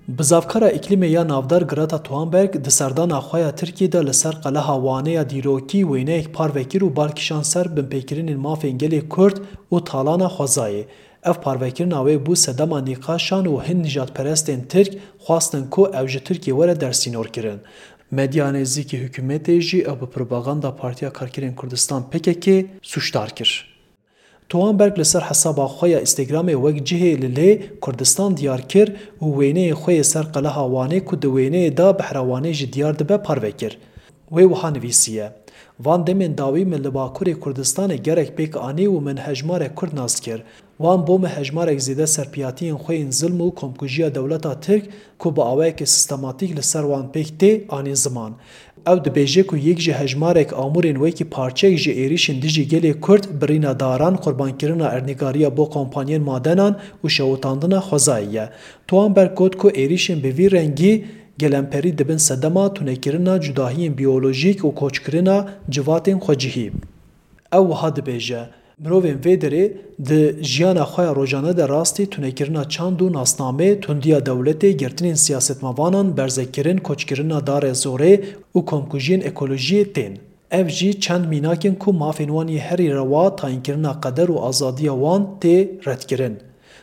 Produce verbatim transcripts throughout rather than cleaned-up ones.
Bizavkara îklîmê ya navdar Greta Thunberg di serdana xwe ya Tirkiyê de li ser qeleha Wanê ya dîrokî wêneyek parve kir û bal kişand ser binpêkirinên mafên gelê Kurd û talana xwezayê. Ev parvekirina wê bû sedema nîqaşan û hin nijadperestên Tirk xwestin ku ew ji Tirkiyê were dersînorkirin. Medya nêzîkî hikûmetê jî ew bi propaganda Partiya Karkerên Kurdistan P K K sûcdar kir. Thunberg li ser hesaba xwe ya Instagramê wek cihê li lê Kurdistan diyar kir û wêneyê xwe yê ser qeleha Wanê ku di wêneyê de behra Wanê jî diyar dibe parve kir. Wê wiha nivîsiye, Van demên dawî min li Bakurê Kurdistanê gelek pêk anî û min hejmarek Kurd nas kir. Wan bo min hejmarek zêde serpiyatiyên xwe yên zilm û komkujiya dewleta Tirk ku bi awayekî sistematîk li ser wan pêk tê, anî ziman. Ew dibêje ku yek ji hejmarek amûrên wekî parçeyek ji êrîşên dijî gelê Kurd birîna daran, qurbankirina erdnîgariya bo kompanyên madenan û şewitandina xwezayê ye. Thunberg got ku êrîşên bi vî rengî gelemperî dibin sedema tunekirina cudahiyên biyolojîk û koçkirina civatên xwecihî. Ew wiha dibêje, Mirovên vê derê di jiyana xwe ya rojane de rastî tunekirina çand û nasnamê, tundiya dewletê, girtinên siyasetmevanan, berzekirin, koçkirina darê zorê û komkujiyên ekolojiyê tên. Ev jî çend mînak in ku mafên wan yê herî rewa, tayînkirina qeder û azadiya wan tê redkirin.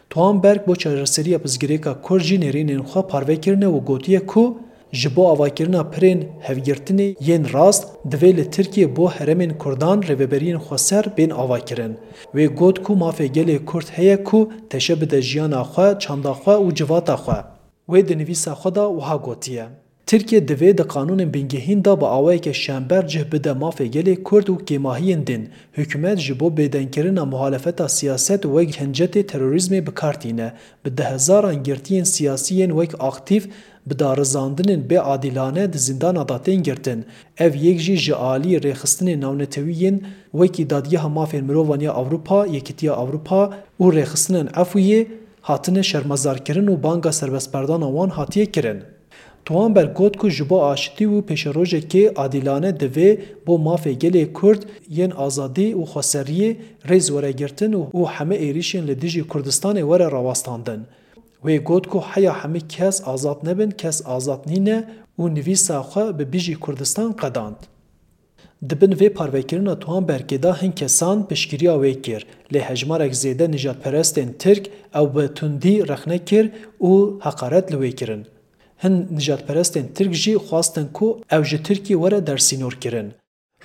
Thunberg bo çareseriya pirsgirêka Kurd jî nêrînên xwe parve kirine û gotiye ku ji bo avakirina pirên hevgirtinê yên rast, divê li Tirkiyê bo herêmên Kurdan rêveberiyên xweser bên avakirin. Wê got ku mafê gelê Kurd heye ku teşe bide jiyana xwe, çanda xwe û civata xwe. Wê di nivîsa xwe de wiha gotiye, Tirkiye divê di qanûnên bingehîn de bi awayeke şember cih bide mafê gelê Kurd û kêmahiyên din. Hikûmet ji bo bêdengkirina muhalefeta siyaset wek hincetê terorîzmê bi kar tîne. Bi dehezaran girtiyên siyasî yên wek aktîf bi darizandinên bê adîlane di zîndana de tên girtin. Ev yek jî ji alî rêxistinên navnetewî yên wekî Dadgeha Mafên Mirovan ya Ewropa, Yekîtiya Ewropa û rêxistinên efûyê hatine şermezarkirin û banga serbestberdana wan hatiye kirin. Thunberg got ku ji bo aşitî û pêşerojekê adîlane divê bo mafê gelê Kurd yên azadî û xweseriyê rêz were girtin û, û heme êrîşên li dijî Kurdistanê were rawestandin. Wê got ku heya hemî kes azad nebin, kes azad nîne û nivîsa xwe bi bijî Kurdistan qedand. Di bin vê parvekirina Thunbergê de hin kesan piştgiriya wê kir, lê hejmarek zêde nijadperestên Tirk ew bi tundî rexne kir û heqaret li wê kirin. Hin nijadperestên Tirk jî xwestin ku ew ji Tirkiyê were dersînorkirin.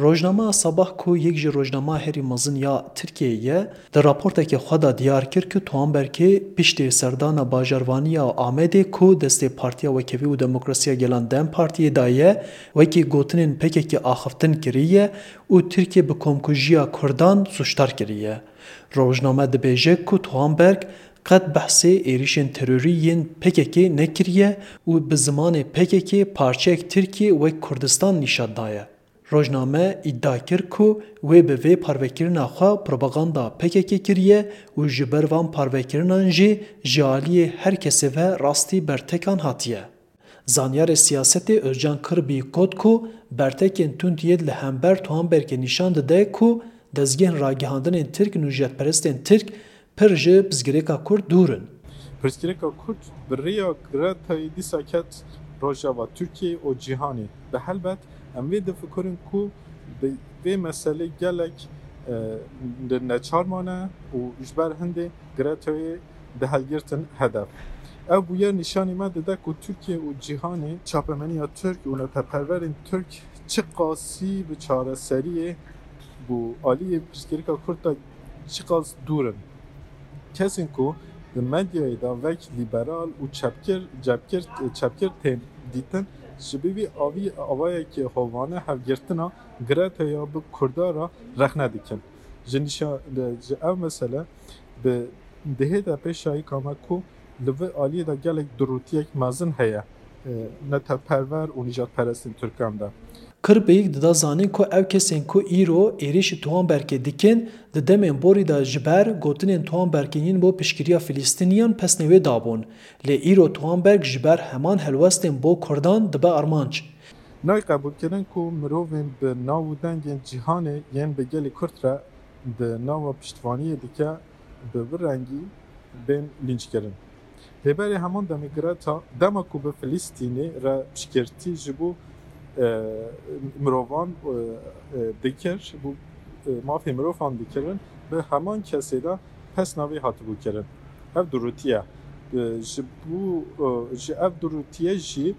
Rojnameya Sabah ku yek ji rojnameya herî mezin ya Tirkiyeyê ye, di raportekê xwe de diyar kir ku Thunbergê piştî serdana bajarvaniya Amedê ku destê Partiya Wekhevî û Demokrasiya Gelan DEM Partiyê de ye, wekî gotinên P K K axiftin kiriye û Tirkiye bi komkujiya Kurdan sûcdar kiriye. Rojname dibêje ku Thunberg qet behsê êrîşên terorî yên P K K nekiriye û bi zimanê P K K parçeyek Tirkiyê wek Kurdistan nîşan daye. Rojname îdia kir ku wê bi vê parvekirina xwe propaganda P K K kiriye û ji ber van parvekirinan jî ji aliyê her kesê ve rastî bertekan hatiye. Zanyarê siyasetê Özcan Kırbî got ku bertekên tund yê li hember Thunbergê nîşan dide ku dezgehên ragihandinên Tirk û nijadperestên Tirk pir ji pirsgirêka Kurd dûr in. Pirsgirêka Kurd bi rêya Gretayê dîsa ket rojeva Tirkiyê û cîhanê. Bi helbet em vê difikirin ku bi vê meselê gelek, e, neçar mane û ji ber hindê Gretayê dihilgirtin hedef. Ev bûyer nîşanî me dide ku Tirkiye û cîhanê çapemeniya Tirk û neteperwerên Tirk çiqasî bi çareseriyê û aliyê pirsgirêka Kurd de çiqas dûr in. Kesên ku di medyayê de wek lîberal û çepgir, çepgir, çepgir tên dîtin, ji bo vî avî, avayekî hovane hevgirtina Gretaya bi Kurda re rexne dikin. Ji nîşa-, ji ev mesele bi dihête pêşayîka me ku li vê aliyê de gelek durûtiyek mezin heye, e, neteperwer û nîjadperestên Tirkan de. Kirbîk dida zanîn ku ew kesên ku îro êrîşî Thunbergê dikin, di demên borî de ji ber gotinên Thunbergê yên bo piştgiriya Filistîniyan pesnê wê dabûn. Lê îro Thunberg ji ber heman helwestên bo Kurdan dibe armanc. Nayê qebûlkirin ku mirovên bi nav û dengên cîhanê yên bi gelê Kurd re di nava piştvaniyê dike, bi vî rengî bên lînçkirin. Lê berê heman demê Greta, dema ku bi Filistînê re piştgirtî ji bo e, mirovan e, e, dikir, bo e, mafê mirovan dikirin, bi heman kesê de pesna wê hatibû kirin. Ev durûtiye. E, ji bo e, ji ev durûtiye jî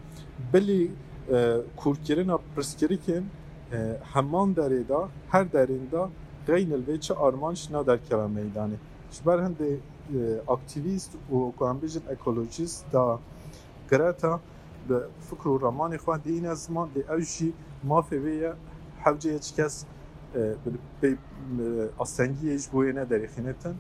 bilî e, kûrkirina pirsgirêkên e, heman derê de, her derên de xeynil vê çi armanc naderkeve meydanê. Ji ber hindê e, aktîvîst û ku em bêjin ekolojîst da Greta bi fikr û ramanê xwe dihîne ziman, lê ew jî mafê wê ye, hewce ye çi kes e, bi pê e, astengiyê ji bo wê nederêxînitin.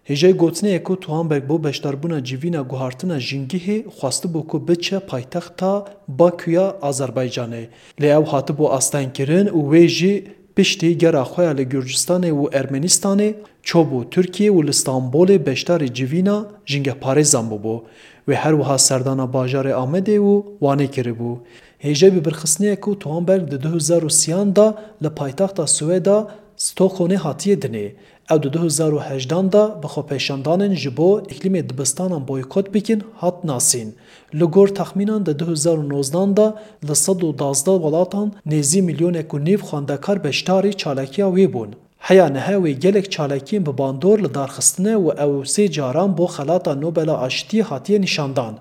Hêjayî gotinê ye ku Thunberg bo beşdarbûna civîna guhartina jîngehê xwestibû ku biçe paytexta Bakuya Azerbaycanê. Lê ew hatibû astengkirin û wê jî piştî gera xwe ya li Gurcistanê û Ermenistanê çûbû Tirkiyê û li Stenbolê beşdarî civîna jîngehparêzan bûbû. Wê her wiha serdana bajarê Amedê û Wanê kiribû. Hêjayî bi birxistinê ye ku Thunberg di du hezar û sîyan de li paytexta Swêda Stockholmê hatiye dinê. Ew di du hezar û hejdan de bi xwepêşandanên ji bo îklîmê dibistanan boykot bikin hat nasîn. Li gor texmînan di du hezar û nozdan de li sed û duwazdeh welatan nêzî milyonek û nîv xwendekar beşdarî çalakiya wê bûn. Heya niha wê gelek çalakiyên bi bandor li dar xistine û ew sê caran bo Xelata Nobela Aştiyê hatiye nîşandan.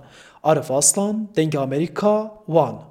Arif Aslan, Dengê Amerîka, Wan.